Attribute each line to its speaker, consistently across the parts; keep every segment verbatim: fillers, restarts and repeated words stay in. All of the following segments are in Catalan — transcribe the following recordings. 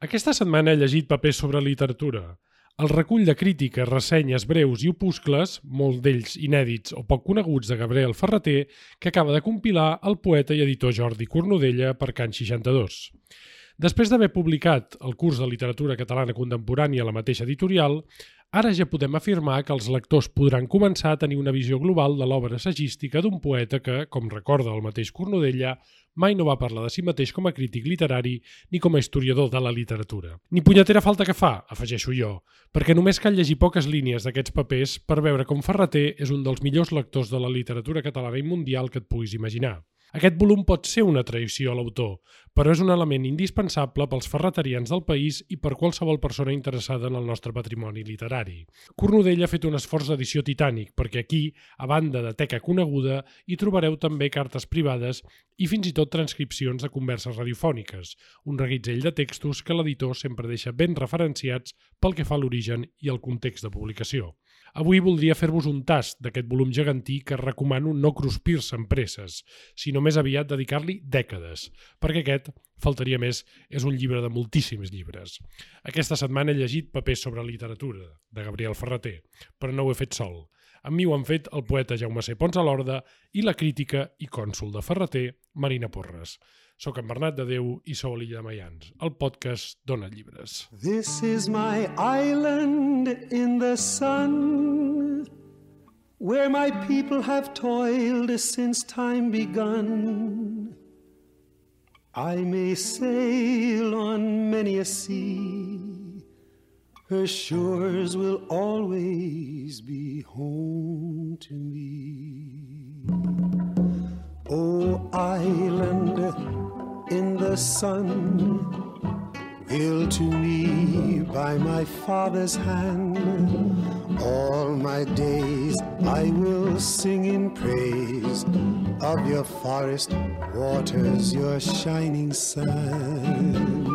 Speaker 1: Aquesta setmana he llegit papers sobre literatura. El recull de crítiques, ressenyes breus i opuscles, molts d'ells inèdits o poc coneguts de Gabriel Ferrater, que acaba de compilar el poeta i editor Jordi Cornudella per Can seixanta-dos. Després d'haver publicat el curs de literatura catalana contemporània a la mateixa editorial, ara ja podem afirmar que els lectors podran començar a tenir una visió global de l'obra assagística d'un poeta que, com recorda el mateix Cornudella, mai no va parlar de si mateix com a crític literari ni com a historiador de la literatura. Ni punyetera falta que fa, afegeixo jo, perquè només cal llegir poques línies d'aquests papers per veure com Ferrater és un dels millors lectors de la literatura catalana i mundial que et puguis imaginar. Aquest volum pot ser una traïció a l'autor, però és un element indispensable pels ferraterians del país i per qualsevol persona interessada en el nostre patrimoni literari. Cornudella ha fet un esforç d'edició titànic, perquè aquí, a banda de teca coneguda, hi trobareu també cartes privades i fins i tot transcripcions de converses radiofòniques, un reguitzell de textos que l'editor sempre deixa ben referenciats pel que fa a l'origen i el context de publicació. Avui voldria fer-vos un tast d'aquest volum gegantí que recomano no cruspir-se en presses, sinó més aviat dedicar-li dècades, perquè aquest, faltaria més, és un llibre de moltíssims llibres. Aquesta setmana he llegit Papers sobre literatura, de Gabriel Ferrater, però no ho he fet sol. Amb mi ho han fet el poeta Jaume C. Pons a l'Horda i la crítica i cònsol de Ferrater, Marina Porres. Soc en Bernat de Déu i sou a l'Illa de Maians, el podcast Dona Llibres.
Speaker 2: This is my island in the sun, where my people have toiled since time begun. I may sail on many a sea, her shores will always be home to me. Oh, island in the sun, built to me by my father's hand, all my days I will sing in praise of your forest waters, your shining sun.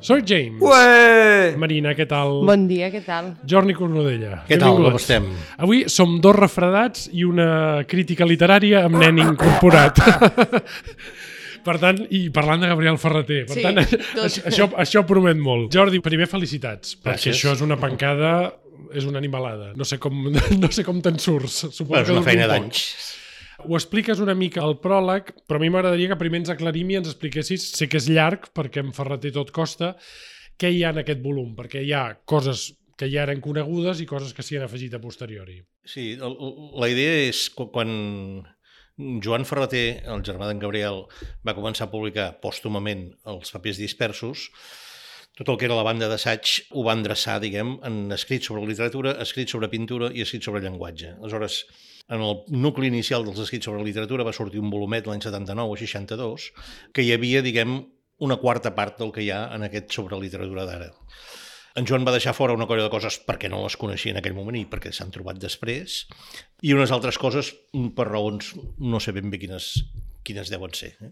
Speaker 1: Soy James.
Speaker 3: Ué!
Speaker 1: Marina, què tal?
Speaker 4: Bon dia, què tal?
Speaker 1: Jordi Cornudella.
Speaker 3: Què tal, com estem?
Speaker 1: Avui som dos refredats i una crítica literària amb nen incorporat. Per tant, i parlant de Gabriel Ferrater, per
Speaker 4: Sí,
Speaker 1: tant,
Speaker 4: tot.
Speaker 1: això, això promet molt. Jordi, primer felicitats, perquè
Speaker 3: Gràcies.
Speaker 1: això és una pancada, és una animalada. No sé com, no sé com te'n surts. Suposo
Speaker 3: Bueno, és
Speaker 1: que
Speaker 3: una
Speaker 1: dura
Speaker 3: feina
Speaker 1: un poc.
Speaker 3: d'anys.
Speaker 1: Ho expliques una mica al pròleg, però a mi m'agradaria que primer ens aclarim i ens expliquessis, sé que és llarg, perquè en Ferrater tot costa, què hi ha en aquest volum, perquè hi ha coses que ja eren conegudes i coses que s'hi han afegit a posteriori.
Speaker 3: Sí, el, la idea és que quan Joan Ferrater, el germà d'en Gabriel, va començar a publicar pòstumament els papers dispersos, tot el que era la banda d'assaig ho va endreçar, diguem, en escrits sobre literatura, escrits sobre pintura i escrits sobre llenguatge. Aleshores, en el nucli inicial dels escrits sobre literatura va sortir un volumet l'any setanta-nou o seixanta-dos que hi havia, diguem, una quarta part del que hi ha en aquest sobre literatura d'ara. En Joan va deixar fora una colla de coses perquè no les coneixia en aquell moment i perquè s'han trobat després, i unes altres coses per raons no sé ben bé quines, quines deuen ser. Eh?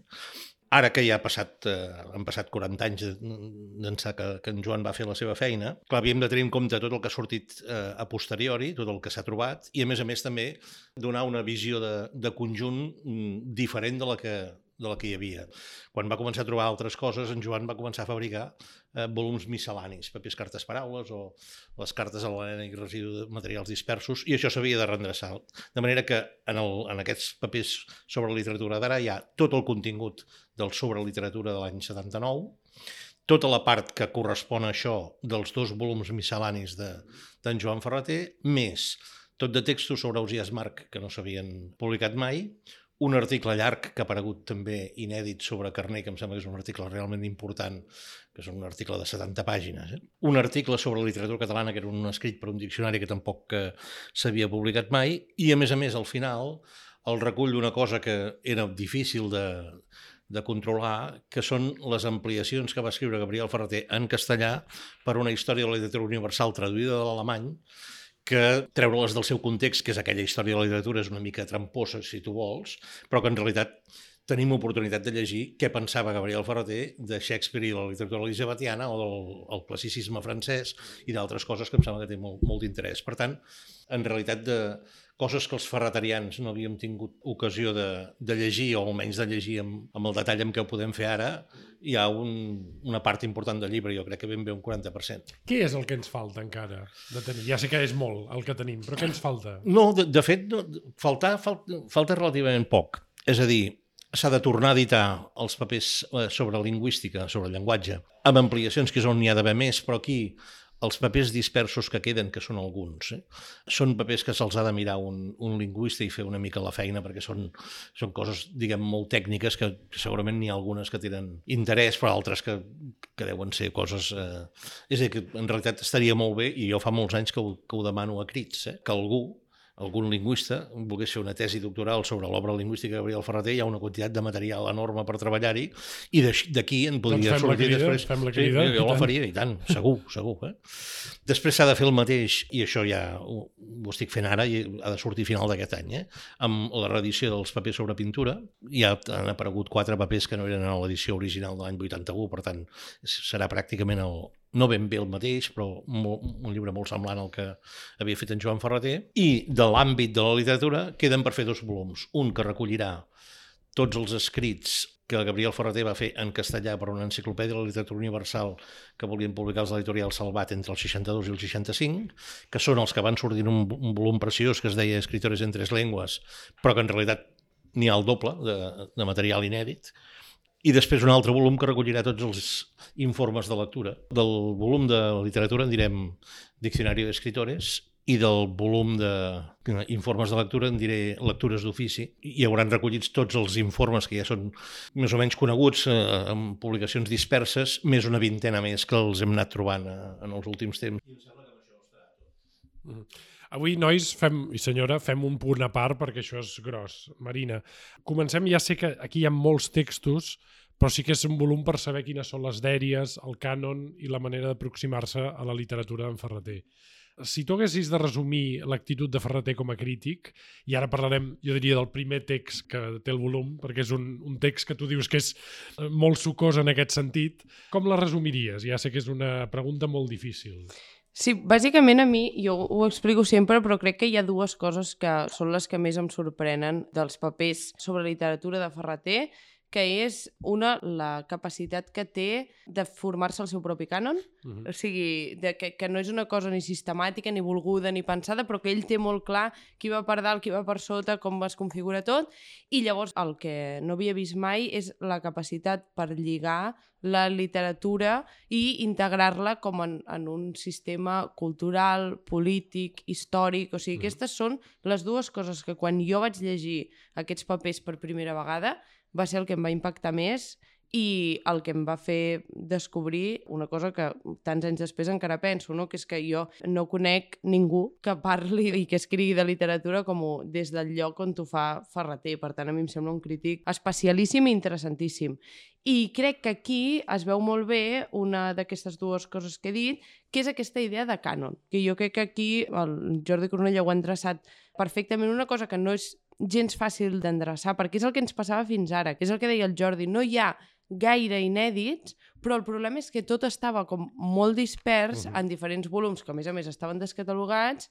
Speaker 3: Ara que ja ha passat, eh, han passat quaranta anys d'ençà que, que en Joan va fer la seva feina, clar, havíem de tenir en compte tot el que ha sortit eh, a posteriori, tot el que s'ha trobat, i a més a més també donar una visió de, de conjunt mm, diferent de la, que, de la que hi havia. Quan va començar a trobar altres coses, en Joan va començar a fabricar eh, volums miscel·lanis, papers, cartes, paraules, o les cartes a la nena i residu de materials dispersos, i això s'havia de reendreçar. De manera que en, el, en aquests papers sobre literatura d'ara hi ha tot el contingut del sobre literatura de l'any setanta-nou, tota la part que correspon a això dels dos volums miscel·lanis d'en Joan Ferrater, més tot de textos sobre Ausiàs March que no s'havien publicat mai, un article llarg que ha aparegut també inèdit sobre Carner, que em sembla que és un article realment important, que és un article de setanta pàgines. Eh? Un article sobre literatura catalana, que era un escrit per un diccionari que tampoc eh, s'havia publicat mai, i a més a més al final el recull d'una cosa que era difícil de, de controlar, que són les ampliacions que va escriure Gabriel Ferrater en castellà per una història de la literatura universal traduïda de l'alemany, que treure-les del seu context, que és aquella història de la literatura, és una mica tramposa, si tu vols, però que en realitat tenim oportunitat de llegir què pensava Gabriel Ferrater de Shakespeare i la literatura elisabetiana o del el classicisme francès i d'altres coses que em sembla que té molt, molt d'interès. Per tant, en realitat, de coses que els ferraterians no havíem tingut ocasió de, de llegir, o almenys de llegir amb, amb el detall amb què ho podem fer ara, hi ha un, una part important del llibre, jo crec que ben bé un quaranta per cent.
Speaker 1: Què és el que ens falta encara de tenir? Ja sé que és molt el que tenim, però què ens falta?
Speaker 3: No, de, de fet, no, faltar, falta, falta relativament poc. És a dir, s'ha de tornar a editar els papers sobre lingüística, sobre el llenguatge, amb ampliacions, que és on n'hi ha d'haver més, però aquí els papers dispersos que queden, que són alguns, eh? són papers que se'ls ha de mirar un, un lingüista i fer una mica la feina, perquè són, són coses, diguem, molt tècniques, que segurament n'hi ha algunes que tenen interès, però altres que, que deuen ser coses... Eh... És a dir, que en realitat estaria molt bé, i jo fa molts anys que ho, que ho demano a crits, eh? que algú, algun lingüista, volgués fer una tesi doctoral sobre l'obra lingüística de Gabriel Ferrater, hi ha una quantitat de material enorme per treballar-hi, i d'aquí en podria
Speaker 1: doncs
Speaker 3: sortir
Speaker 1: crida,
Speaker 3: després.
Speaker 1: Fem la crida,
Speaker 3: sí, jo la faria, i tant, segur, segur. Eh? Després s'ha de fer el mateix, i això ja ho, ho estic fent ara, i ha de sortir a final d'aquest any, eh? amb la reedició dels papers sobre pintura. Ja han aparegut quatre papers que no eren a l'edició original de l'any vuitanta-u, per tant, serà pràcticament el no ben bé el mateix, però molt, un llibre molt semblant al que havia fet en Joan Ferrater. I de l'àmbit de la literatura queden per fer dos volums. Un que recollirà tots els escrits que Gabriel Ferrater va fer en castellà per una enciclopèdia de la literatura universal que volien publicar els editorials Salvat entre el seixanta-dos i el seixanta-cinc, que són els que van sortir en un, un volum preciós que es deia Escritores en tres llengües, però que en realitat n'hi ha el doble de, de material inèdit. I després un altre volum que recollirà tots els informes de lectura. Del volum de literatura en direm Diccionari d'Escritores, i del volum d'informes de lectura en diré Lectures d'ofici. Hi hauran recollits tots els informes que ja són més o menys coneguts, eh, amb publicacions disperses, més una vintena més que els hem anat trobant eh, en els últims temps. I em sembla que amb això estarà tot.
Speaker 1: Mm. Avui, nois, fem, i senyora, fem un punt a part perquè això és gros. Marina, comencem, ja sé que aquí hi ha molts textos, però sí que és un volum per saber quines són les dèries, el cànon i la manera d'aproximar-se a la literatura d'en Ferrater. Si tu haguessis de resumir l'actitud de Ferrater com a crític, i ara parlarem, jo diria, del primer text que té el volum, perquè és un, un text que tu dius que és molt sucós en aquest sentit, com la resumiries? Ja sé que és una pregunta molt difícil.
Speaker 4: Sí, bàsicament a mi, jo ho explico sempre, però crec que hi ha dues coses que són les que més em sorprenen dels papers sobre literatura de Ferrater, que és, una, la capacitat que té de formar-se el seu propi cànon, uh-huh. o sigui, de, que, que no és una cosa ni sistemàtica, ni volguda, ni pensada, però que ell té molt clar qui va per dalt, qui va per sota, com es configura tot, i llavors el que no havia vist mai és la capacitat per lligar la literatura i integrar-la com en, en un sistema cultural, polític, històric, o sigui, uh-huh. aquestes són les dues coses que quan jo vaig llegir aquests papers per primera vegada va ser el que em va impactar més i el que em va fer descobrir una cosa que tants anys després encara penso, no? Que és que jo no conec ningú que parli i que escrigui de literatura com des del lloc on t'ho fa Ferrater. Per tant, a mi em sembla un crític especialíssim i interessantíssim. I crec que aquí es veu molt bé una d'aquestes dues coses que he dit, que és aquesta idea de cànon, que jo crec que aquí el Jordi Cornellà ho ha endreçat perfectament, una cosa que no és gens fàcil d'endreçar, perquè és el que ens passava fins ara, que és el que deia el Jordi, no hi ha gaire inèdits, però el problema és que tot estava com molt dispers uh-huh. en diferents volums, que a més a més estaven descatalogats,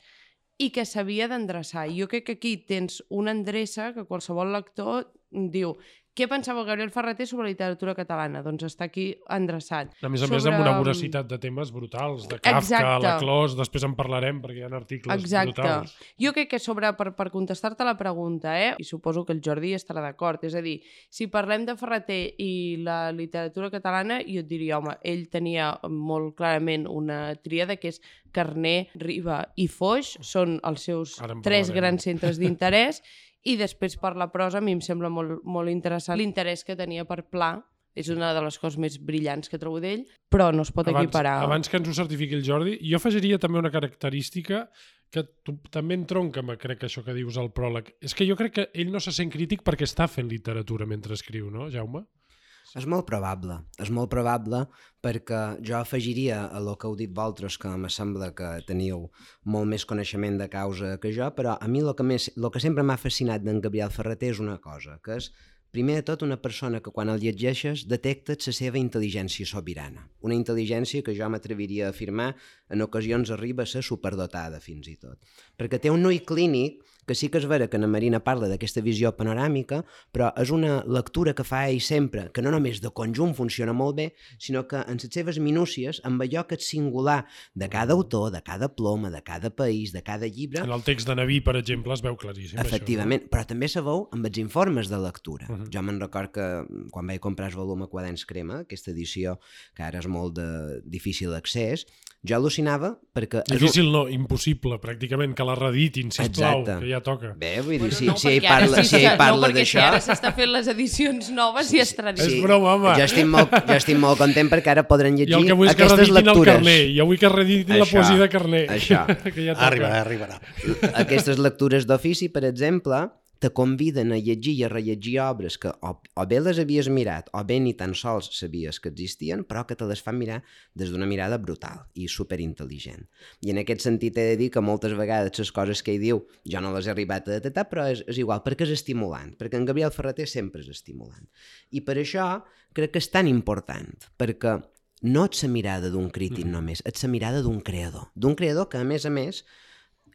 Speaker 4: i que s'havia d'endreçar. Jo crec que aquí tens una endreça que qualsevol lector diu: què pensava Gabriel Ferrater sobre la literatura catalana? Doncs està aquí endreçat.
Speaker 1: A més a
Speaker 4: sobre...
Speaker 1: més, amb una voracitat de temes brutals, de Kafka,
Speaker 4: Exacte.
Speaker 1: la Clos, després en parlarem perquè hi ha articles
Speaker 4: Exacte.
Speaker 1: brutals.
Speaker 4: Jo crec que sobre, per, per contestar-te la pregunta, eh, i suposo que el Jordi estarà d'acord, és a dir, si parlem de Ferrater i la literatura catalana, jo et diria, home, ell tenia molt clarament una tríada que és Carner, Riba i Foix, són els seus tres grans centres d'interès. I després per la prosa a mi em sembla molt, molt interessant l'interès que tenia per Pla, és una de les coses més brillants que trobo d'ell, però no es pot
Speaker 1: abans,
Speaker 4: equiparar.
Speaker 1: Abans que ens ho certifiqui el Jordi, jo afegiria també una característica que tu, també entronca, crec que això que dius al pròleg. És que jo crec que ell no se sent crític perquè està fent literatura mentre escriu, no, Jaume?
Speaker 5: És molt probable, és molt probable perquè jo afegiria a el que heu dit vosaltres, que em sembla que teniu molt més coneixement de causa que jo, però a mi el que, més, el que sempre m'ha fascinat d'en Gabriel Ferrater és una cosa, que és Primer de tot, una persona que quan el llegeixes detectes la seva intel·ligència sobirana. Una intel·ligència que jo m'atreviria a afirmar en ocasions arriba a ser superdotada fins i tot. Perquè té un ull clínic que sí que és vera que na Marina parla d'aquesta visió panoràmica, però és una lectura que fa ell sempre, que no només de conjunt funciona molt bé, sinó que en les seves minúcies, amb allò que és singular de cada autor, de cada ploma, de cada país, de cada llibre...
Speaker 1: En el text de Naví, per exemple, es veu claríssim.
Speaker 5: Efectivament,
Speaker 1: això, no?
Speaker 5: Però també se veu amb els informes de lectura. Uh
Speaker 1: Uh-huh.
Speaker 5: -huh. Jo me'n record que quan vaig comprar el volum a Quaderns Crema, aquesta edició que ara és molt de difícil accés, jo al·lucinava perquè...
Speaker 1: Difícil un... no, impossible, pràcticament, que la reeditin, sisplau,
Speaker 5: Exacte.
Speaker 1: que ja toca.
Speaker 5: Bé, vull dir,
Speaker 4: Bueno,
Speaker 5: si,
Speaker 4: no,
Speaker 5: si ell
Speaker 4: perquè ara
Speaker 5: parla,
Speaker 4: sí
Speaker 5: si ell
Speaker 4: s'està-
Speaker 5: parla
Speaker 4: no, perquè
Speaker 5: d'això...
Speaker 4: si ara s'està fent les edicions noves i és tradició.
Speaker 1: És broma, home.
Speaker 5: Jo estic, molt, jo estic molt content perquè ara podran llegir
Speaker 1: I el que vull és que
Speaker 5: aquestes
Speaker 1: reeditin el
Speaker 5: lectures.
Speaker 1: Carner. Jo vull que reeditin la
Speaker 5: Això,
Speaker 1: poesia de Carner.
Speaker 5: això.
Speaker 1: que ja toca.
Speaker 3: Arribarà, arribarà.
Speaker 5: Aquestes lectures d'ofici, per exemple, te conviden a llegir i a rellegir obres que o, o bé les havies mirat o bé ni tan sols sabies que existien, però que te les fan mirar des d'una mirada brutal i superintel·ligent. I en aquest sentit he de dir que moltes vegades les coses que ell diu jo no les he arribat a detectar, però és, és igual, perquè és estimulant, perquè en Gabriel Ferrater sempre és estimulant. I per això crec que és tan important, perquè no ets la mirada d'un crític només, ets la mirada d'un creador, d'un creador que a més a més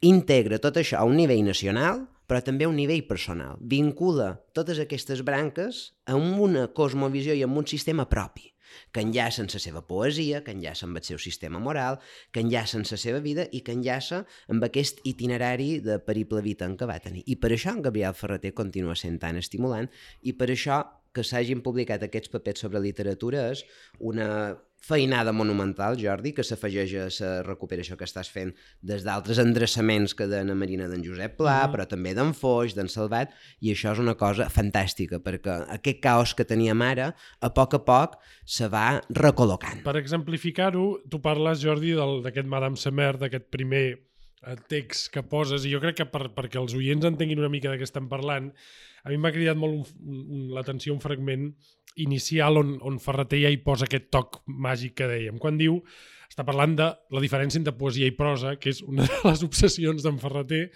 Speaker 5: integra tot això a un nivell nacional, però també a un nivell personal. Vincula totes aquestes branques amb una cosmovisió i amb un sistema propi, que enllaça amb la seva poesia, que enllaça amb el seu sistema moral, que enllaça amb la seva vida i que enllaça amb aquest itinerari de periple vital que va tenir. I per això en Gabriel Ferrater continua sent tan estimulant i per això que s'hagin publicat aquests papers sobre literatura és una feinada monumental, Jordi, que s'afegeix a la recuperació que estàs fent des d'altres endreçaments que de na Marina d'en Josep Pla, mm. però també d'en Foix, d'en Salvat, i això és una cosa fantàstica, perquè aquest caos que teníem ara, a poc a poc, se va recol·locant.
Speaker 1: Per exemplificar-ho, tu parles, Jordi, d'aquest Madame Semer, d'aquest primer text que poses, i jo crec que per, perquè els oients entenguin una mica de què estem parlant, a mi m'ha cridat molt un, un, l'atenció un fragment inicial on, on Ferrater ja hi posa aquest toc màgic que dèiem. Quan diu, està parlant de la diferència entre poesia i prosa, que és una de les obsessions d'en Ferrater,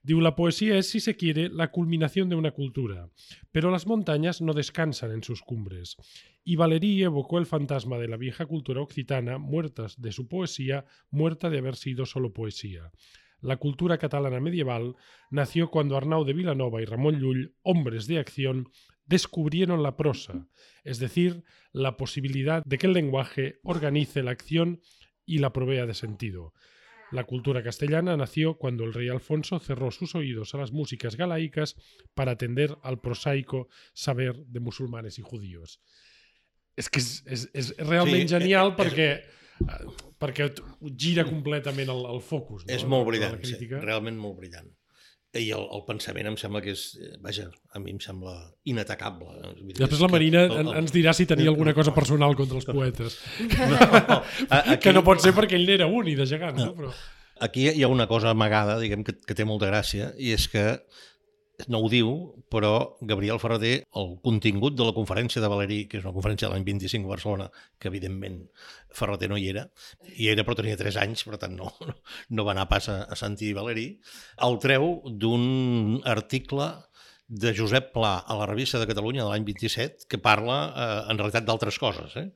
Speaker 1: diu, la poesía es, si se quiere, la culminación de una cultura, pero las montañas no descansan en sus cumbres. Y Valéry evocó el fantasma de la vieja cultura occitana, muertas de su poesía, muerta de haber sido solo poesía. La cultura catalana medieval nació cuando Arnau de Vilanova y Ramón Llull, hombres de acción, descubrieron la prosa, es decir, la posibilidad de que el lenguaje organice la acción y la provea de sentido. La cultura castellana nació cuando el rey Alfonso cerró sus oídos a las músicas galaicas para atender al prosaico saber de musulmanes y judíos. És que és, és, és realment sí, genial és, perquè, és, perquè gira completament el, el focus. No?
Speaker 3: És molt brillant, sí, realment molt brillant. I el, el pensament em sembla que és, vaja, a mi em sembla inatacable.
Speaker 1: I després la Marina el, el, ens dirà si tenia alguna cosa personal contra els poetes. No,
Speaker 3: no, aquí,
Speaker 1: que no pot ser perquè ell n'era un i de gegant. No? Però...
Speaker 3: Aquí hi ha una cosa amagada, diguem, que, que té molta gràcia, i és que no ho diu, però Gabriel Ferrater, el contingut de la conferència de Valéry, que és una conferència de l'any vint-i-cinc a Barcelona, que evidentment Ferrater no hi era, hi era però tenia tres anys, per tant no, no va anar pas a, a sentir Valéry, el treu d'un article de Josep Pla a la Revista de Catalunya de l'any vint-i-set, que parla eh, en realitat d'altres coses, eh?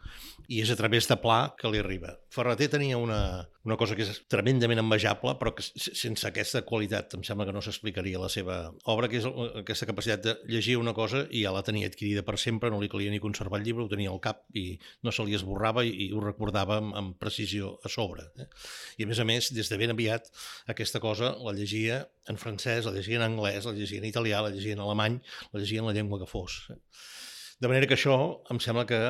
Speaker 3: I és a través de Pla que li arriba. Ferrater tenia una, una cosa que és tremendament envejable, però que sense aquesta qualitat em sembla que no s'explicaria la seva obra, que és aquesta capacitat de llegir una cosa i ja la tenia adquirida per sempre, no li calia ni conservar el llibre, ho tenia al cap i no se li esborrava i, i ho recordava amb, amb precisió a sobre. Eh? I a més a més, des de ben aviat, aquesta cosa la llegia en francès, la llegia en anglès, la llegia en italià, la llegia en alemany, la llegia en la llengua que fos. De manera que això em sembla que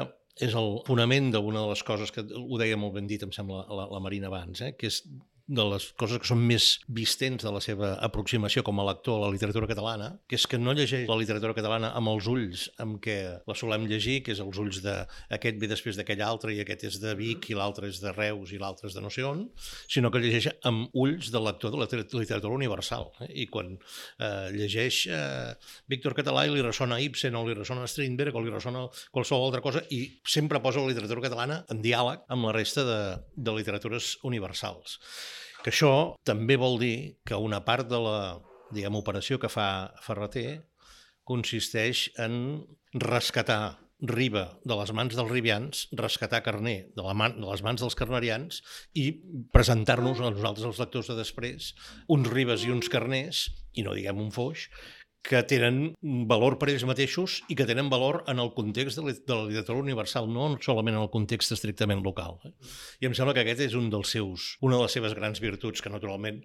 Speaker 3: és el fonament d'una de les coses que ho deia molt ben dit, em sembla, la, la Marina abans, eh? Que és de les coses que són més vistents de la seva aproximació com a lector a la literatura catalana, que és que no llegeix la literatura catalana amb els ulls amb què la solem llegir, que és els ulls d'aquest ve després d'aquell altre, i aquest és de Vic, i l'altre és de Reus, i l'altre és de no sé on, sinó que llegeix amb ulls del lector de la literatura universal. Eh? I quan eh, llegeix eh, Víctor Català i li ressona Ibsen, o li ressona Strindberg, o li ressona qualsevol altra cosa, i sempre posa la literatura catalana en diàleg amb la resta de, de literatures universals. Que això també vol dir que una part de la, diguem, operació que fa Ferrater consisteix en rescatar Riba de les mans dels ribians, rescatar Carner de, la man, de les mans dels carnerians i presentar-nos a nosaltres, els lectors de després, uns Ribes i uns Carners, i no diguem un Foix, que tenen valor per ells mateixos i que tenen valor en el context de la literatura universal, no solament en el context estrictament local. I em sembla que aquest és un dels seus, una de les seves grans virtuts, que naturalment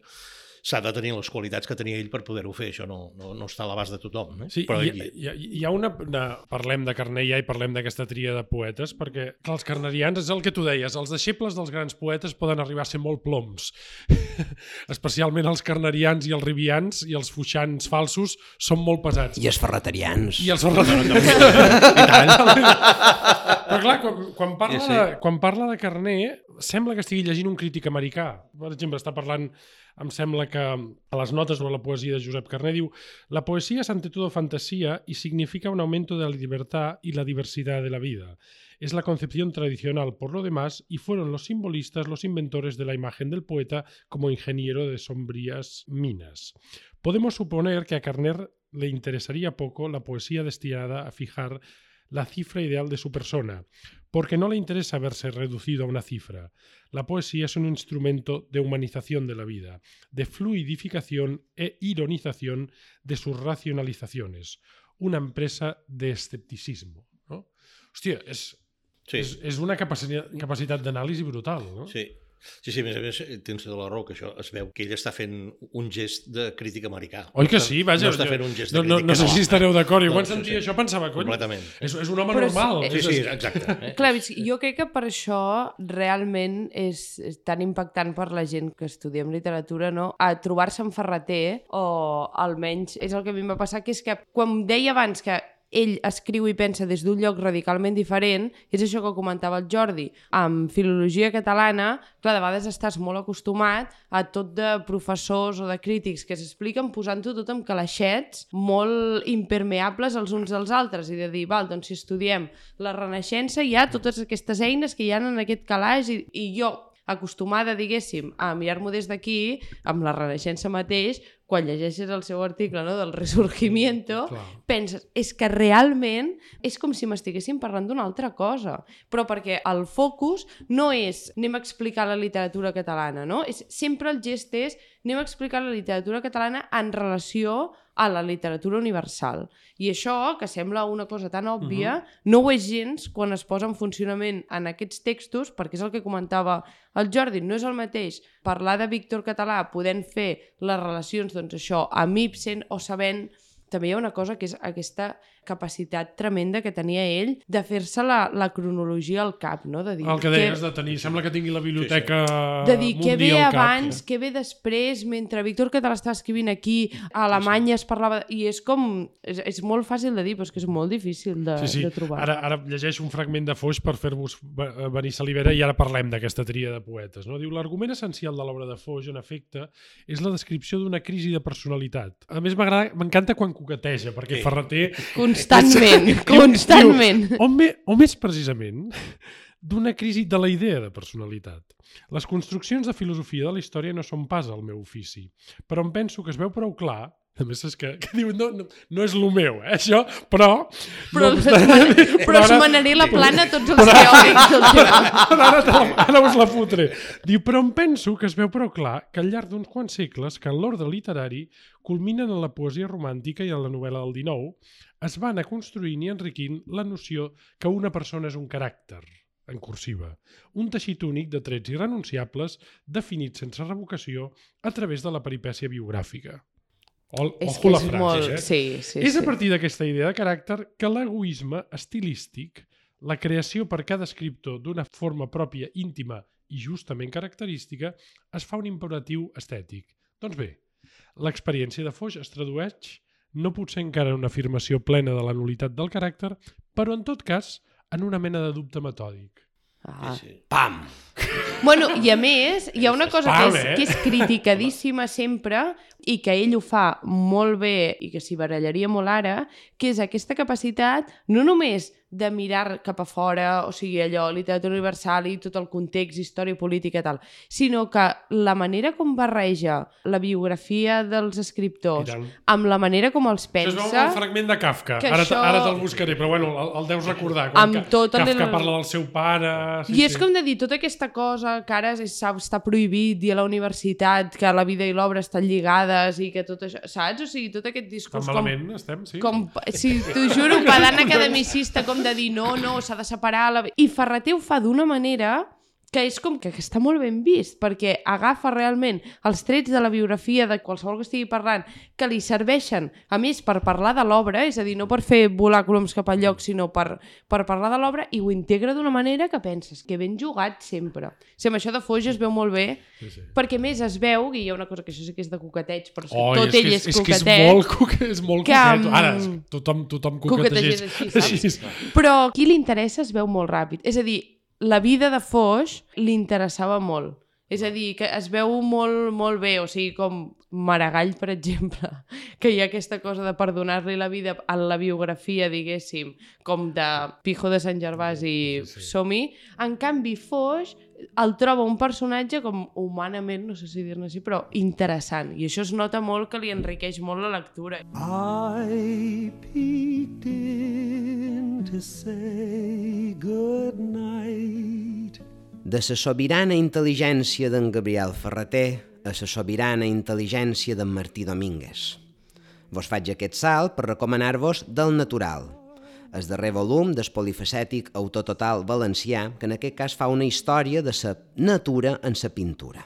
Speaker 3: s'ha de tenir les qualitats que tenia ell per poder-ho fer. Això no, no, no està a l'abast de tothom. Eh?
Speaker 1: Sí,
Speaker 3: Però
Speaker 1: hi,
Speaker 3: ell...
Speaker 1: hi, hi ha una... una parlem de Carner ja i parlem d'aquesta tria de poetes, perquè clar, els carnerians, és el que tu deies, els deixebles dels grans poetes poden arribar a ser molt ploms. Especialment els carnerians i els ribians i els foixans falsos són molt pesats.
Speaker 5: I els ferreterians.
Speaker 1: I els ferreterians. I tant. Però clar, quan, quan, parla
Speaker 3: sí, sí.
Speaker 1: de, quan parla de Carner, sembla que estigui llegint un crític americà. Per exemple, està parlant... Em sembla que a les notes o a la poesía de Josep Carner diu: la poesía es ante todo fantasía y significa un aumento de la libertad y la diversidad de la vida. Es la concepción tradicional por lo demás y fueron los simbolistas los inventores de la imagen del poeta como ingeniero de sombrías minas. Podemos suponer que a Carner le interesaría poco la poesía destinada a fijar la cifra ideal de su persona, porque no le interesa verse reducido a una cifra. La poesía es un instrumento de humanización de la vida, de fluidificación e ironización de sus racionalizaciones, una empresa de escepticismo. ¿No? Hòstia, és,
Speaker 3: sí.
Speaker 1: és, és una capacitat, capacitat d'anàlisi brutal, no?
Speaker 3: Sí. Sí, sí, a més a més, tens tota la raó, que això es veu que ell està fent un gest de crític americà.
Speaker 1: Oi que sí? Vaja,
Speaker 3: no està fent un gest de
Speaker 1: no,
Speaker 3: crític
Speaker 1: no, no sé si estareu d'acord. I
Speaker 3: no,
Speaker 1: quan sentia
Speaker 3: sí,
Speaker 1: això pensava, cony,
Speaker 3: completament.
Speaker 1: És, és un home
Speaker 4: Però
Speaker 1: normal.
Speaker 4: és,
Speaker 3: Sí, sí, exacte. Eh?
Speaker 4: Clar, jo crec que per això realment és, és tan impactant per la gent que estudiem literatura, no? A trobar-se en Ferrater, o almenys és el que a mi em va passar, que és que quan deia abans que ell escriu i pensa des d'un lloc radicalment diferent, és això que comentava el Jordi. Amb filologia catalana, clar, de vegades estàs molt acostumat a tot de professors o de crítics que s'expliquen posant-ho tot amb calaixets molt impermeables els uns als altres i de dir, val, doncs si estudiem la Renaixença hi ha totes aquestes eines que hi ha en aquest calaix i, i jo acostumada, diguéssim, a mirar-m'ho des d'aquí, amb la Renaixença mateix, quan llegeixes el seu article, no, del Resurgimiento,
Speaker 1: Clar.
Speaker 4: penses, és que realment és com si m'estiguéssim parlant d'una altra cosa. Però perquè el focus no és anem a explicar la literatura catalana, no? És, sempre el gest és anem a explicar la literatura catalana en relació a la literatura universal. I això, que sembla una cosa tan òbvia, uh-huh. no ho és gens quan es posa en funcionament en aquests textos, perquè és el que comentava el Jordi, no és el mateix parlar de Víctor Català podent fer les relacions, doncs això, amb Ibsen o sabent... També hi ha una cosa que és aquesta capacitat tremenda que tenia ell de fer-se la, la cronologia al cap, no? De dir,
Speaker 1: El que deies de tenir, sembla que tingui la biblioteca
Speaker 3: sí,
Speaker 1: sí.
Speaker 4: de dir què ve
Speaker 1: al cap.
Speaker 4: abans, què ve després, mentre Víctor Català estava escrivint aquí, a Alemanya sí, sí. es parlava... I és com... És, és molt fàcil de dir, però és que és molt difícil de,
Speaker 1: sí, sí.
Speaker 4: de trobar.
Speaker 1: Ara, ara llegeixo un fragment de Foix per fer-vos venir salivera i ara parlem d'aquesta tria de poetes. No? Diu, l'argument essencial de l'obra de Foix, en efecte, és la descripció d'una crisi de personalitat. A més, m'agrada, m'encanta quan coqueteja, perquè Ferrater...
Speaker 4: Constantment, constantment.
Speaker 1: Diu, o, me, o més precisament, d'una crisi de la idea de personalitat. Les construccions de filosofia de la història no són pas el meu ofici, però em penso que es veu prou clar. A més, és que, que diu, no, no, no és el meu, eh, això, però...
Speaker 4: Però,
Speaker 1: no,
Speaker 4: però, però es manaré la plana a tots els teòrics del tema.
Speaker 1: Ara, ara, ara us la fotré. Diu, però em penso que es veu prou clar que al llarg d'uns quants segles que en l'ordre literari culminen en la poesia romàntica i en la novel·la del dinou, es va anar construint i enriquint la noció que una persona és un caràcter, en cursiva, un teixit únic de trets irrenunciables definits sense revocació a través de la peripècia biogràfica. O,
Speaker 4: és
Speaker 1: ojo
Speaker 4: que
Speaker 1: la
Speaker 4: és
Speaker 1: frase,
Speaker 4: molt...
Speaker 1: eh?
Speaker 4: Sí, sí,
Speaker 1: és a
Speaker 4: sí.
Speaker 1: partir d'aquesta idea de caràcter que l'egoisme estilístic, la creació per cada escriptor d'una forma pròpia, íntima i justament característica, es fa un imperatiu estètic. Doncs bé, l'experiència de Foix es tradueix, no potser encara en una afirmació plena de la nul·litat del caràcter, però en tot cas en una mena de dubte metòdic.
Speaker 4: Ah.
Speaker 3: Sí, sí.
Speaker 5: Pam!
Speaker 4: Bueno, i a més, hi ha una cosa que és,
Speaker 1: Pam, eh?
Speaker 4: que és criticadíssima sempre i que ell ho fa molt bé i que s'hi barallaria molt ara, que és aquesta capacitat no només de mirar cap a fora, o sigui, allò, literatura universal i tot el context, història política i tal, sinó que la manera com barreja la biografia dels escriptors amb la manera com els pensa...
Speaker 1: Això es veu un fragment de Kafka, ara, això... ara te'l buscaré, però bueno, el, el deus recordar, quan Kafka el... parla del seu pare... Sí,
Speaker 4: I és sí. com de dir, tota aquesta cosa que ara està prohibit dir a la universitat que la vida i l'obra estan lligades i que tot això, saps? O sigui, tot aquest discurs...
Speaker 1: Tan malament com, estem, sí.
Speaker 4: Com, sí, t'ho juro, pedant academicista, com de dir no, no, s'ha de separar... La... I Ferrater ho fa d'una manera que és com que està molt ben vist, perquè agafa realment els trets de la biografia de qualsevol que estigui parlant, que li serveixen, a més, per parlar de l'obra, és a dir, no per fer volar coloms cap al lloc, sinó per, per parlar de l'obra, i ho integra d'una manera que penses que ben jugat sempre. Sí, amb això de Foix es veu molt bé, sí, sí. perquè més es veu, i hi ha una cosa que això sí que és de coqueteig, però oh, tot és ell és, és coquetet. És que és molt, coque, és molt que, coquet. Ara, tothom, tothom coquetegeix. Així, saps? Però qui li interessa es veu molt ràpid. És a dir, la vida de Foix li interessava molt. És a dir, que es veu molt, molt bé, o sigui, com Maragall, per exemple, que hi ha aquesta cosa de perdonar-li la vida en la biografia, diguéssim, com de Pijo de Sant Gervàs i sí, sí. Som-hi. En canvi, Foix el troba un personatge com humanament, no sé si dir-ne així, però interessant. I això es nota molt que li enriqueix molt la lectura.
Speaker 2: I peeked in to say good night.
Speaker 5: De la sobirana intel·ligència d'en Gabriel Ferrater a la sobirana intel·ligència d'en Martí Domínguez. Vos faig aquest salt per recomanar-vos Del Natural, el darrer volum del polifacètic autor total valencià, que en aquest cas fa una història de la natura en la pintura.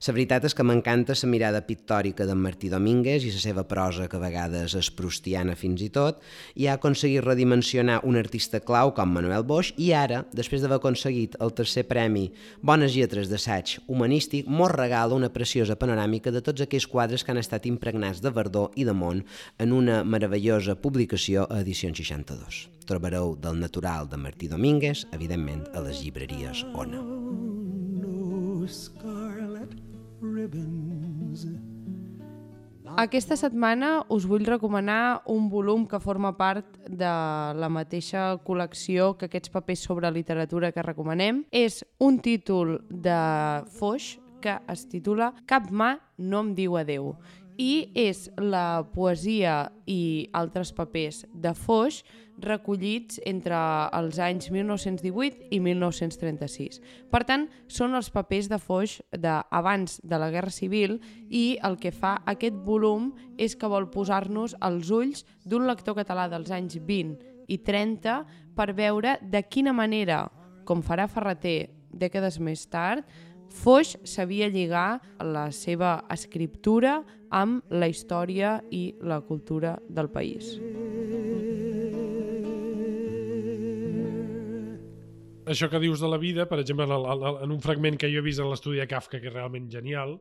Speaker 5: La veritat és que m'encanta la mirada pictòrica d'en Martí Domínguez i la seva prosa, que a vegades és proustiana fins i tot, i ha aconseguit redimensionar un artista clau com Manuel Boix, i ara, després d'haver aconseguit el tercer premi Bones Lletres d'assaig humanístic, mos regala una preciosa panoràmica de tots aquells quadres que han estat impregnats de verdor i de món en una meravellosa publicació a Edicions seixanta-dos. Trobareu Del Natural de Martí Domínguez, evidentment, a les llibreries Ona.
Speaker 4: Aquesta setmana us vull recomanar un volum que forma part de la mateixa col·lecció que aquests papers sobre literatura que recomanem. És un títol de Foix que es titula Cap mà no em diu adeu, i és la poesia i altres papers de Foix recollits entre els anys mil nou-cents divuit i mil nou-cents trenta-sis. Per tant, són els papers de Foix d'abans de la Guerra Civil, i el que fa aquest volum és que vol posar-nos als ulls d'un lector català dels anys vint i trenta per veure de quina manera, com farà Ferrater dècades més tard, Foix sabia lligar la seva escriptura amb la història i la cultura del país.
Speaker 1: Això que dius de la vida, per exemple, en un fragment que jo he vist en l'estudi de Kafka, que és realment genial,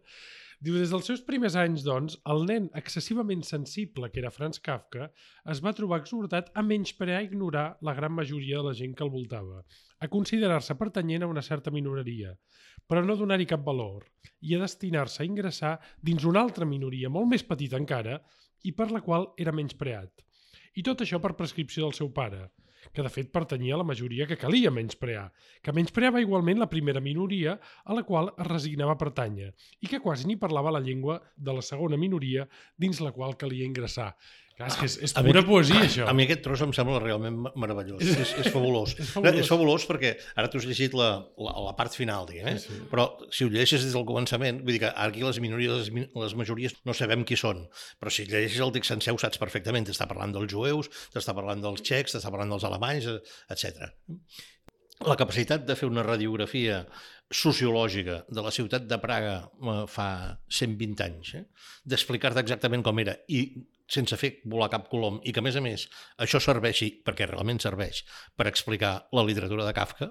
Speaker 1: diu, des dels seus primers anys, doncs, el nen excessivament sensible que era Franz Kafka es va trobar exhortat a menysprear i ignorar la gran majoria de la gent que el voltava, a considerar-se pertanyent a una certa minoria, però no donar-hi cap valor, i a destinar-se a ingressar dins una altra minoria molt més petita encara i per la qual era menyspreat. I tot això per prescripció del seu pare, que de fet pertanyia a la majoria que calia menysprear, que menyspreava igualment la primera minoria a la qual es resignava a pertànyer i que quasi ni parlava la llengua de la segona minoria dins la qual calia ingressar. Clar, és que és, és pura mi, poesia, això.
Speaker 3: A mi aquest tros em sembla realment meravellós. És, és, és fabulós. és, fabulós. és fabulós perquè ara tu has llegit la, la, la part final, diguem, eh? Sí, sí. Però si ho llegeixes des del començament, vull dir que aquí les minories, les, les majories no sabem qui són, però si llegeixes el text sencer ho saps perfectament. T'està parlant dels jueus, t'està parlant dels txecs, t'està parlant dels alemanys, etcètera. La capacitat de fer una radiografia sociològica de la ciutat de Praga fa cent vint anys, eh? D'explicar-te exactament com era i sense fer volar cap colom, i que a més a més això serveixi, perquè realment serveix, per explicar la literatura de Kafka,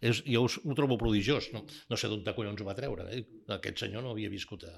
Speaker 3: és, jo ho, ho trobo prodigiós. No, no sé d'on de collons ho va treure. Eh? Aquest senyor no havia viscut a,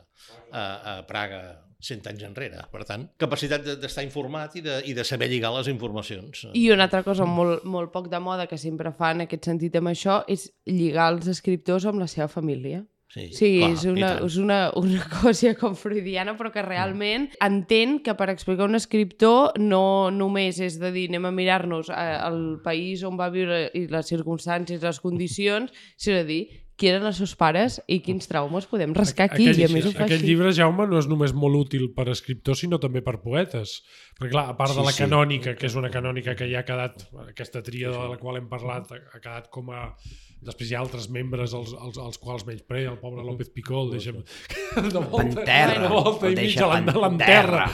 Speaker 3: a, a Praga cent anys enrere. Per tant, capacitat d'estar informat i de, i de saber lligar les informacions.
Speaker 4: I una altra cosa molt, molt poc de moda que sempre fa en aquest sentit amb això és lligar els escriptors amb la seva família.
Speaker 3: Sí,
Speaker 4: Sí,
Speaker 3: clar,
Speaker 4: és, una, és una, una cosa com freudiana, però que realment mm. entén que per explicar un escriptor no només és de dir anem a mirar-nos el país on va viure i les circumstàncies, les condicions, sinó de dir qui eren els seus pares i quins traumes podem rascar aquí.
Speaker 1: Aquell,
Speaker 4: I a més ho fa
Speaker 1: aquell
Speaker 4: així.
Speaker 1: llibre, Jaume, no és només molt útil per escriptors, sinó també per poetes. Perquè, clar, a part
Speaker 5: Sí,
Speaker 1: de la
Speaker 5: sí.
Speaker 1: canònica, que és una canònica que ja ha quedat, aquesta tríada de la qual hem parlat, ha quedat com a... Després hi ha altres membres als, als, als quals menyspré, el pobre López Picol, deixa'm... De volta,
Speaker 5: Panterra,
Speaker 1: de volta
Speaker 5: el
Speaker 1: i
Speaker 5: deixa
Speaker 1: mitja
Speaker 5: panterra.
Speaker 1: l'enterra.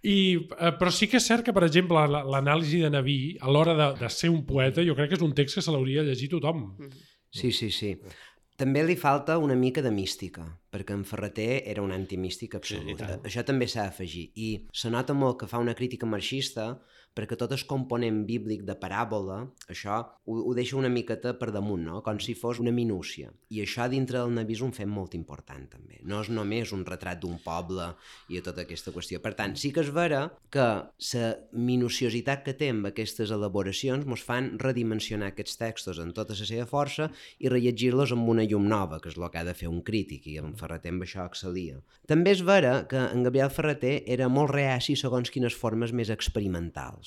Speaker 1: I, eh, però sí que és cert que, per exemple, la- l'anàlisi de Naví, a l'hora de, de ser un poeta, jo crec que és un text que se l'hauria de llegir tothom.
Speaker 5: Sí, sí, sí. També li falta una mica de mística, perquè en Ferreter era un antimístic absolut.
Speaker 3: Sí,
Speaker 5: Això també s'ha d'afegir. I se nota molt que fa una crítica marxista perquè tot el component bíblic de paràbola, això ho, ho deixa una miqueta per damunt, no? Com si fos una minúcia. I això dintre del Naví és un fet molt important, també. No és només un retrat d'un poble i tota aquesta qüestió. Per tant, sí que és vera que la minuciositat que té amb aquestes elaboracions ens fan redimensionar aquests textos en tota la seva força i rellegir-los amb una llum nova, que és el que ha de fer un crític, i en Ferreter amb això excel·lia. També és vera que en Gabriel Ferreter era molt reaci segons quines formes més experimentals.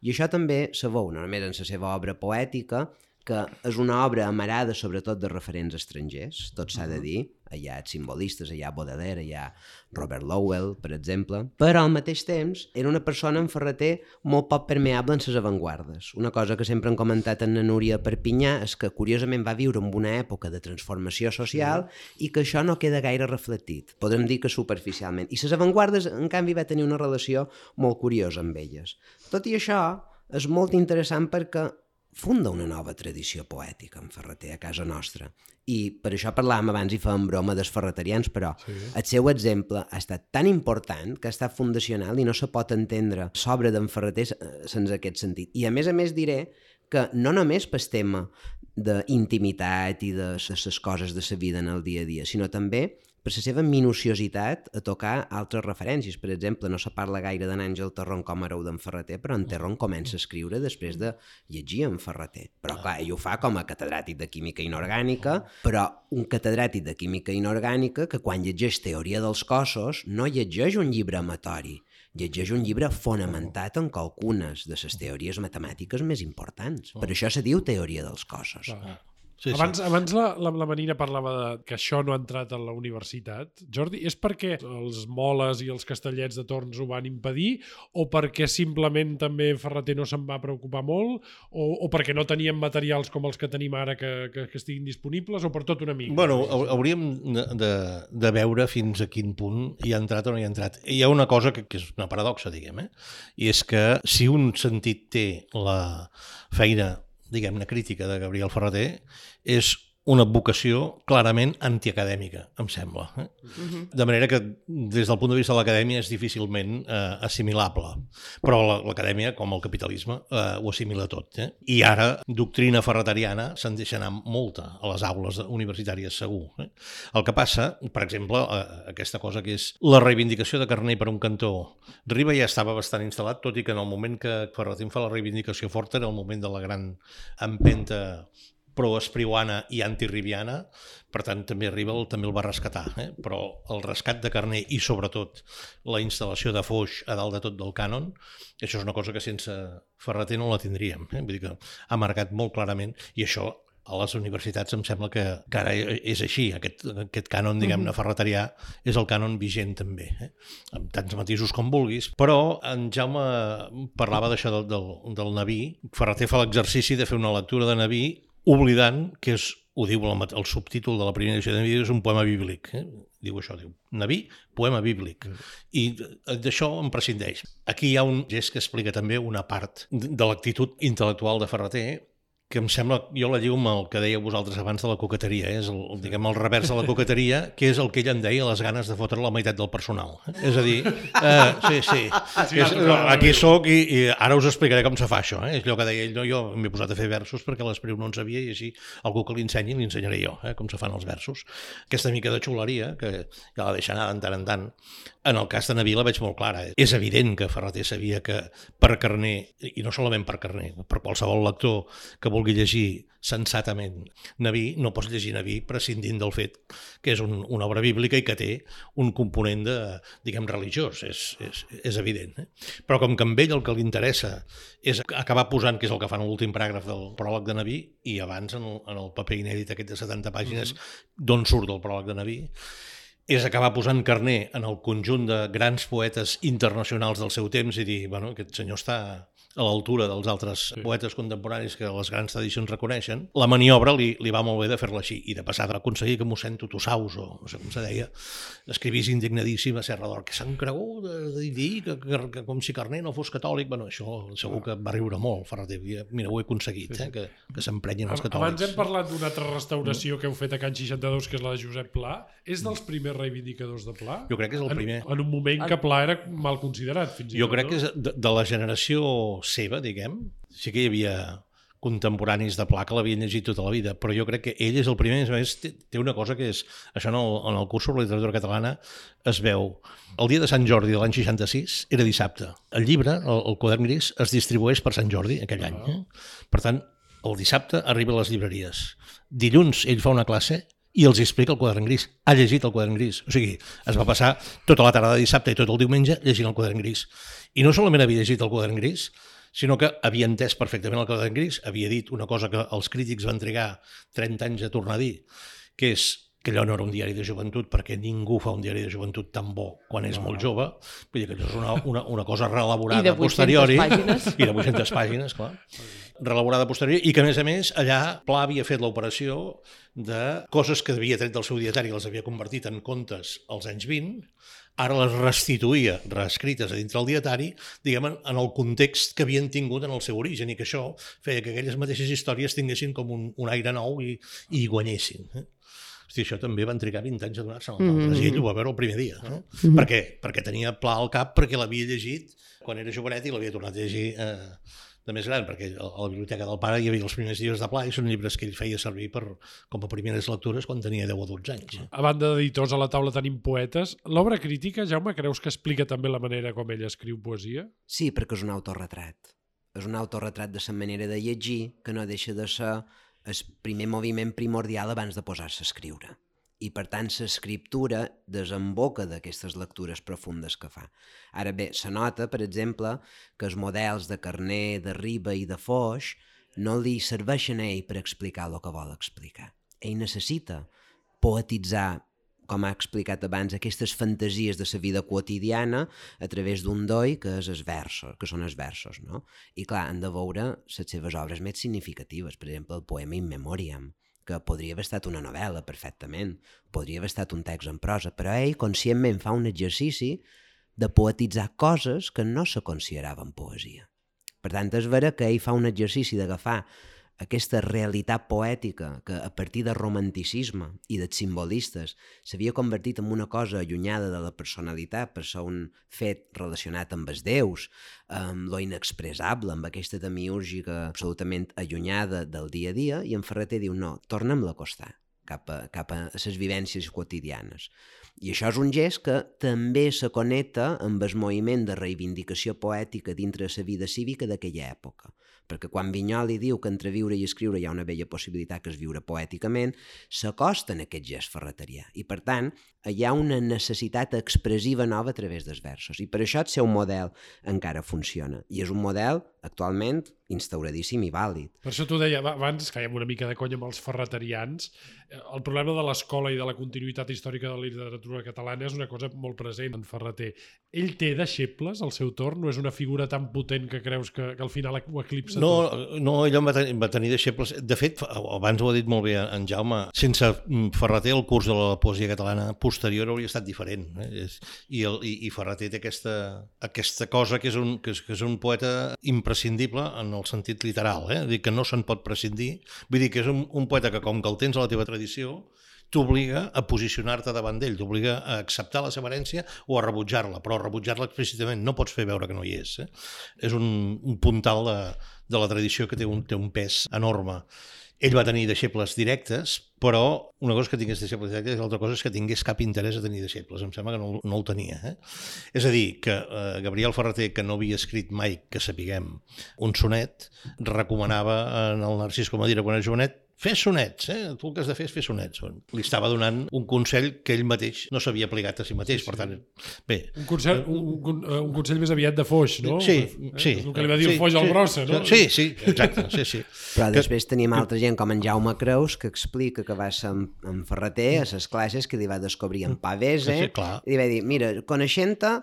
Speaker 5: I això també se veu, no només en la seva obra poètica, que és una obra amarada sobretot de referents estrangers, tot s'ha de dir, hi ha simbolistes, hi ha Baudelaire, hi ha Robert Lowell, per exemple, però al mateix temps era una persona en Ferreter molt poc permeable en les avantguardes. Una cosa que sempre han comentat en Núria Perpinyà és que curiosament va viure en una època de transformació social i que això no queda gaire reflectit, podem dir que superficialment. I les avantguardes, en canvi, va tenir una relació molt curiosa amb elles. Tot i això, és molt interessant perquè funda una nova tradició poètica en Ferreter a casa nostra. I per això parlàvem abans i fèiem broma dels ferreterians, però sí. El seu exemple ha estat tan important que ha estat fundacional i no se pot entendre l'obra d'en Ferreter sense aquest sentit. I a més a més diré que no només pel tema d'intimitat i de les coses de la vida en el dia a dia, sinó també per la seva minuciositat a tocar altres referències. Per exemple, no se parla gaire d'en Àngel Terron com a hereu d'en Ferreter, però en Terron comença a escriure després de llegir en Ferreter. Però clar, ell ho fa com a catedràtic de química inorgànica, però un catedràtic de química inorgànica que quan llegeix Teoria dels cossos no llegeix un llibre amatori, llegeix un llibre fonamentat en qualcunes de les teories matemàtiques més importants. Per això se diu Teoria dels cossos.
Speaker 1: Sí, abans, sí. abans la, la, la Marina parlava de que això no ha entrat a la universitat. Jordi, és perquè els moles i els castellets de Torns ho van impedir o perquè simplement també Ferreter no se'n va preocupar molt o, o perquè no tenien materials com els que tenim ara que, que, que estiguin disponibles o per tot una mica?
Speaker 3: Bueno, hauríem de, de, de veure fins a quin punt hi ha entrat o no hi ha entrat. Hi ha una cosa que, que és una paradoxa, diguem, eh? I és que si un sentit té la feina diguem-ne, crítica de Gabriel Ferreter, és una vocació clarament antiacadèmica, em sembla. Eh? Uh-huh. De manera que, des del punt de vista de l'acadèmia, és difícilment eh, assimilable. Però l'acadèmia, com el capitalisme, eh, ho assimila tot. Eh? I ara, doctrina ferreteriana se'n deixa anar molta a les aules universitàries, segur. Eh? El que passa, per exemple, eh, aquesta cosa que és la reivindicació de Carner per un cantó. Riba ja estava bastant instal·lat, tot i que en el moment que Ferreter fa la reivindicació forta era el moment de la gran empenta pro-espriuana i anti-ribiana, per tant també Riba també el va rescatar, eh? Però el rescat de Carner i sobretot la instal·lació de Foix a dalt de tot del cànon, això és una cosa que sense Ferreter no la tindríem, eh? Vull dir que ha marcat molt clarament, i això a les universitats em sembla que, que ara és així, aquest, aquest cànon, diguem-ne, ferreterià és el cànon vigent també, eh? Amb tants matisos com vulguis, però en Jaume parlava d'això del, del, del Naví. Ferreter fa l'exercici de fer una lectura de Naví oblidant que és, ho diu el, el subtítol de la primera edició de Naví, és un poema bíblic. Eh? Diu això, diu Naví, poema bíblic. I d'això em prescindeix. Aquí hi ha un gest que explica també una part de l'actitud intel·lectual de Ferreter, que em sembla, jo la lligo amb el que dèieu vosaltres abans de la coqueteria, eh? És el, diguem, el revers de la coqueteria, que és el que ell en deia les ganes de fotre la meitat del personal. És a dir, eh, sí, sí, sí és, aquí soc i, i ara us explicaré com se fa això. Eh? És allò que deia ell, no, jo m'he posat a fer versos perquè l'Espriu no en sabia i així algú que l'ensenyi l'ensenyaré jo, eh? Com se fan els versos. Aquesta mica de xuleria, que ja la deixa anar de tant en tant, en el cas de Naví la veig molt clara. És evident que Ferreter sabia que per Carner, i no solament per Carner, per qualsevol lector que vulgui llegir sensatament Naví, no pots llegir Naví prescindint del fet que és un, una obra bíblica i que té un component de, diguem, religiós, és, és, és evident. Eh? Però com que amb ell el que li interessa és acabar posant, que és el que fa en l'últim paràgraf del pròleg de Naví, i abans en el, en el paper inèdit aquest de setanta pàgines, mm-hmm. d'on surt el pròleg de Naví, és acabar posant carner en el conjunt de grans poetes internacionals del seu temps i dir, bueno, aquest senyor està a l'altura dels altres sí. poetes contemporanis que les grans tradicions reconeixen. La maniobra li, li va molt bé de fer-la així, i de passar a aconseguir que mossèn Tutusaus, o no sé com se deia, escrivís indignadíssim a Serra d'Or, que s'han cregut de dir que, que, que com si Carner no fos catòlic. Bueno, això segur que va riure molt, Ferrater. Mira, ho he aconseguit, sí, sí. Eh, que, que s'emprenyin els catòlics.
Speaker 1: Abans hem parlat d'una altra restauració que heu fet a Can seixanta-dos, que és la de Josep Pla. És dels primers reivindicadors de Pla?
Speaker 3: Jo crec que és el primer.
Speaker 1: En, en un moment que Pla era mal considerat, fins i tot.
Speaker 3: Jo crec que és de, de la generació seva, diguem, sí que hi havia contemporanis de Pla que l'havien llegit tota la vida, però jo crec que ell és el primer. A més, té, té una cosa que és, això en el, en el curs sobre literatura catalana es veu. El dia de Sant Jordi de l'any seixanta-sis era dissabte. El llibre, el, el quadern gris, es distribueix per Sant Jordi aquell any. Eh? Per tant, el dissabte arriba a les llibreries. Dilluns ell fa una classe i els explica el quadern gris. Ha llegit el quadern gris. O sigui, es va passar tota la tarda de dissabte i tot el diumenge llegint el quadern gris. I no solament havia llegit el quadern gris, sinó que havia entès perfectament el quadern gris, havia dit una cosa que els crítics van trigar trenta anys a tornar a dir, que és que allò no era un diari de joventut, perquè ningú fa un diari de joventut tan bo quan és no. molt jove. Vull dir que allò és una, una, una cosa reelaborada a posteriori.
Speaker 4: Pàgines.
Speaker 3: I de vuit-centes pàgines, clar. Reelaborada a posteriori, i que, a més a més, allà Pla havia fet l'operació de coses que havia tret del seu dietari i les havia convertit en contes als anys vint, ara les restituïa reescrites a dintre del dietari, diguem, en el context que havien tingut en el seu origen, i que això feia que aquelles mateixes històries tinguessin com un, un aire nou i, i guanyessin. Eh? Hosti, això també van trigar vint anys a donar-se als altres, mm-hmm. i ell ho va veure el primer dia. Eh? Mm-hmm. Per què? Perquè tenia Pla al cap, perquè l'havia llegit quan era jovenet i l'havia tornat a llegir eh, de més gran, perquè a la biblioteca del pare hi havia els primers llibres de Pla i són llibres que ell feia servir per, com a primeres lectures quan tenia deu o dotze anys.
Speaker 1: A banda d'editors, a la taula tenim poetes. L'obra crítica, Jaume, creus que explica també la manera com ell escriu poesia?
Speaker 5: Sí, perquè és un autorretrat. És un autorretrat de la manera de llegir que no deixa de ser el primer moviment primordial abans de posar-se a escriure. I, per tant, l'escriptura desemboca d'aquestes lectures profundes que fa. Ara bé, se nota, per exemple, que els models de Carner, de Riba i de Foix no li serveixen a ell per explicar el que vol explicar. Ell necessita poetitzar, com ha explicat abans, aquestes fantasies de la vida quotidiana a través d'un doi que, és els versos, que són els versos. No? I, clar, han de veure les seves obres més significatives, per exemple, el poema In Memoriam, que podria haver estat una novel·la perfectament, podria haver estat un text en prosa, però ell conscientment fa un exercici de poetitzar coses que no se consideraven poesia. Per tant, és vera que ell fa un exercici d'agafar aquesta realitat poètica que a partir del romanticisme i dels simbolistes s'havia convertit en una cosa allunyada de la personalitat per ser un fet relacionat amb els déus, amb lo inexpressable, amb aquesta demiúrgica absolutament allunyada del dia a dia, i en Ferrater diu no, tornem-la a acostar cap a, cap a les vivències quotidianes. I això és un gest que també se connecta amb el moviment de reivindicació poètica dintre la vida cívica d'aquella època. Perquè quan Vinyoli diu que entre viure i escriure hi ha una bella possibilitat que és viure poèticament, s'acosta en aquest gest ferreterià. I, per tant, hi ha una necessitat expressiva nova a través dels versos. I per això el seu model encara funciona. I és un model, actualment, instauradíssim i vàlid.
Speaker 1: Per això t'ho deia, abans fèiem una mica de conya amb els ferreterians. El problema de l'escola i de la continuïtat històrica de la literatura catalana és una cosa molt present en Ferrater. Ell té deixebles al seu torn? No és una figura tan potent que creus que, que al final ho eclipsa
Speaker 3: no,
Speaker 1: tot?
Speaker 3: No, ell va tenir, va tenir deixebles. De fet, abans ho ha dit molt bé en Jaume, sense Ferrater el curs de la poesia catalana posterior hauria estat diferent. Eh? I, el, i, I Ferrater té aquesta, aquesta cosa que és, un, que, és, que és un poeta imprescindible en el sentit literal, eh? Dir que no se'n pot prescindir. Vull dir que és un, un poeta que, com que el tens a la teva tradició, t'obliga a posicionar-te davant d'ell, t'obliga a acceptar la seva herència o a rebutjar-la, però a rebutjar-la explícitament no pots fer veure que no hi és. Eh? És un, un puntal de, de la tradició que té un, té un pes enorme. Ell va tenir deixebles directes, però una cosa és que tingués deixebles directes i l'altra cosa és que tingués cap interès a tenir deixebles. Em sembla que no, no el tenia. Eh? És a dir, que eh, Gabriel Ferrater, que no havia escrit mai, que sapiguem, un sonet, recomanava en el Narcís Comadira quan era jovenet, fes sonets, eh? Tu el que has de fer és fer sonets. Li estava donant un consell que ell mateix no s'havia aplicat a si mateix, per tant, bé.
Speaker 1: Un consell, un, un, un consell més aviat de Foix, no?
Speaker 3: Sí,
Speaker 1: eh?
Speaker 3: sí.
Speaker 1: El que li va dir
Speaker 3: sí,
Speaker 1: el Foix al
Speaker 3: sí,
Speaker 1: Brossa, no?
Speaker 3: Sí, sí, exacte, sí, sí.
Speaker 5: Però
Speaker 3: Que-
Speaker 5: després tenim altra gent com en Jaume Creus que explica que va ser en, en Ferrater a les classes que li va descobrir en Pavese
Speaker 3: Sí, sí, clar.
Speaker 5: i li va dir, mira, coneixent-te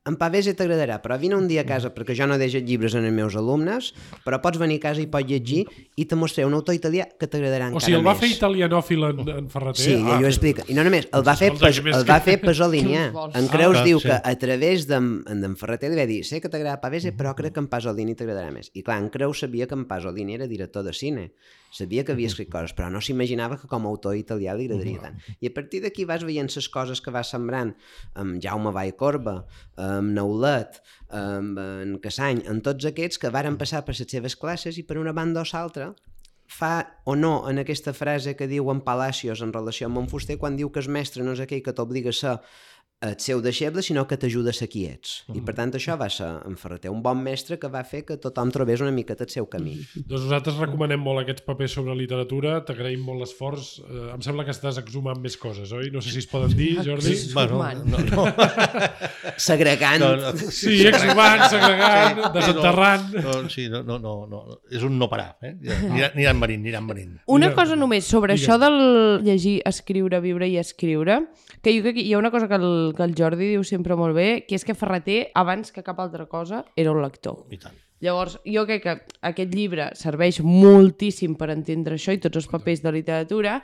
Speaker 5: en Pavese t'agradarà, però vine un dia a casa perquè jo no deixo llibres en els meus alumnes, però pots venir a casa i pots llegir i te mostraré un autor italià que t'agradarà encara
Speaker 1: O sigui, el va
Speaker 5: més.
Speaker 1: fer italianòfil en, en Ferrater?
Speaker 5: Sí, i ell ho explica. I no només, el va fer,
Speaker 1: Escolta,
Speaker 5: pas,
Speaker 1: què més
Speaker 5: el va
Speaker 1: que-
Speaker 5: fer Pasolinià.
Speaker 4: Què vols?
Speaker 5: En Creus
Speaker 3: Ah,
Speaker 5: diu
Speaker 3: sí.
Speaker 5: que a través d'en d'en Ferrater li va dir sé que t'agrada Pavese, però crec que en Pasolini t'agradarà més. I clar, en Creus sabia que en Pasolini era director de cine. Sabia que havia escrit coses, però no s'imaginava que com a autor italià li agradaria tant. I a partir d'aquí vas veient les coses que va sembrant amb Jaume Vallcorba, amb Neulet, amb en Cassany, en tots aquests que varen passar per les seves classes i per una banda o l'altra fa o no en aquesta frase que diu en Palacios en relació amb en Fuster quan diu que el mestre no és aquell que t'obliga a ser el seu deixeble, sinó que t'ajuda a ser qui ets. I per tant això va ser en Ferrater, un bon mestre que va fer que tothom trobés una miqueta el seu camí.
Speaker 1: Doncs nosaltres recomanem molt aquests papers sobre literatura, t'agraïm molt l'esforç. Eh, em sembla que estàs exhumant més coses, oi? No sé si es poden dir, Jordi.
Speaker 4: Sí.
Speaker 3: Bueno,
Speaker 4: Exhumant.
Speaker 3: no, no.
Speaker 5: Segregant.
Speaker 3: No, no.
Speaker 1: Sí, exhumant, segregant,
Speaker 3: Sí,
Speaker 1: desenterrant.
Speaker 3: No, no, sí, no, no, no, no. És un no parar. Eh? Aniran, aniran venint, aniran venint.
Speaker 4: Una
Speaker 1: Mira,
Speaker 4: cosa només sobre
Speaker 1: digue'm.
Speaker 4: això del llegir, escriure, viure i escriure, que jo crec que hi ha una cosa que el, que el Jordi diu sempre molt bé, que és que Ferrater, abans que cap altra cosa, era un lector.
Speaker 3: I tant.
Speaker 4: Llavors, jo crec que aquest llibre serveix moltíssim per entendre això i tots els papers de literatura,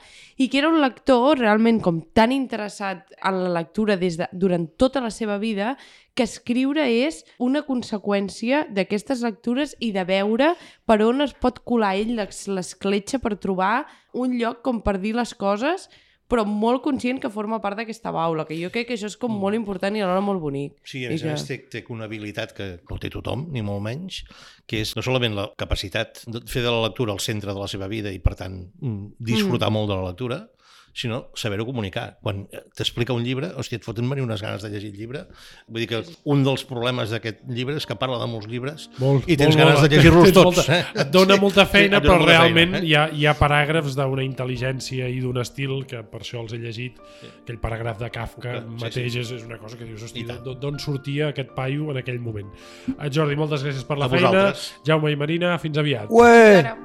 Speaker 4: i que era un lector realment com tan interessat en la lectura des de, durant tota la seva vida, que escriure és una conseqüència d'aquestes lectures i de veure per on es pot colar ell l'es- l'escletxa per trobar un lloc com per dir les coses, però molt conscient que forma part d'aquesta baula, que jo crec que això és com molt important i alhora molt bonic.
Speaker 3: Sí, a
Speaker 4: I
Speaker 3: més a
Speaker 4: que-
Speaker 3: més té, té una habilitat que no té tothom, ni molt menys, que és no solament la capacitat de fer de la lectura el centre de la seva vida i, per tant, mm, disfrutar mm. molt de la lectura, sinó saber-ho comunicar. Quan t'explica un llibre, hòstia, et foten venir unes ganes de llegir el llibre. Vull dir que un dels problemes d'aquest llibre és que parla de molts llibres
Speaker 1: Molt,
Speaker 3: i tens
Speaker 1: molt,
Speaker 3: ganes
Speaker 1: molt.
Speaker 3: de llegir-los
Speaker 1: Tens
Speaker 3: tots.
Speaker 1: molta-
Speaker 3: Eh?
Speaker 1: Et dona molta feina,
Speaker 3: et dona
Speaker 1: però
Speaker 3: molta
Speaker 1: realment
Speaker 3: feina, eh?
Speaker 1: hi, ha, hi ha paràgrafs d'una intel·ligència i d'un estil que per això els he llegit. Aquell paràgraf de Kafka
Speaker 3: Sí,
Speaker 1: mateix
Speaker 3: sí.
Speaker 1: És, és una cosa que dius, hosti,
Speaker 3: I tant.
Speaker 1: d'on d'on sortia aquest paio en aquell moment? Eh, Jordi, moltes gràcies per la
Speaker 3: A
Speaker 1: feina.
Speaker 3: vosaltres.
Speaker 1: Jaume i Marina, fins aviat.
Speaker 5: Ué!
Speaker 4: Ara.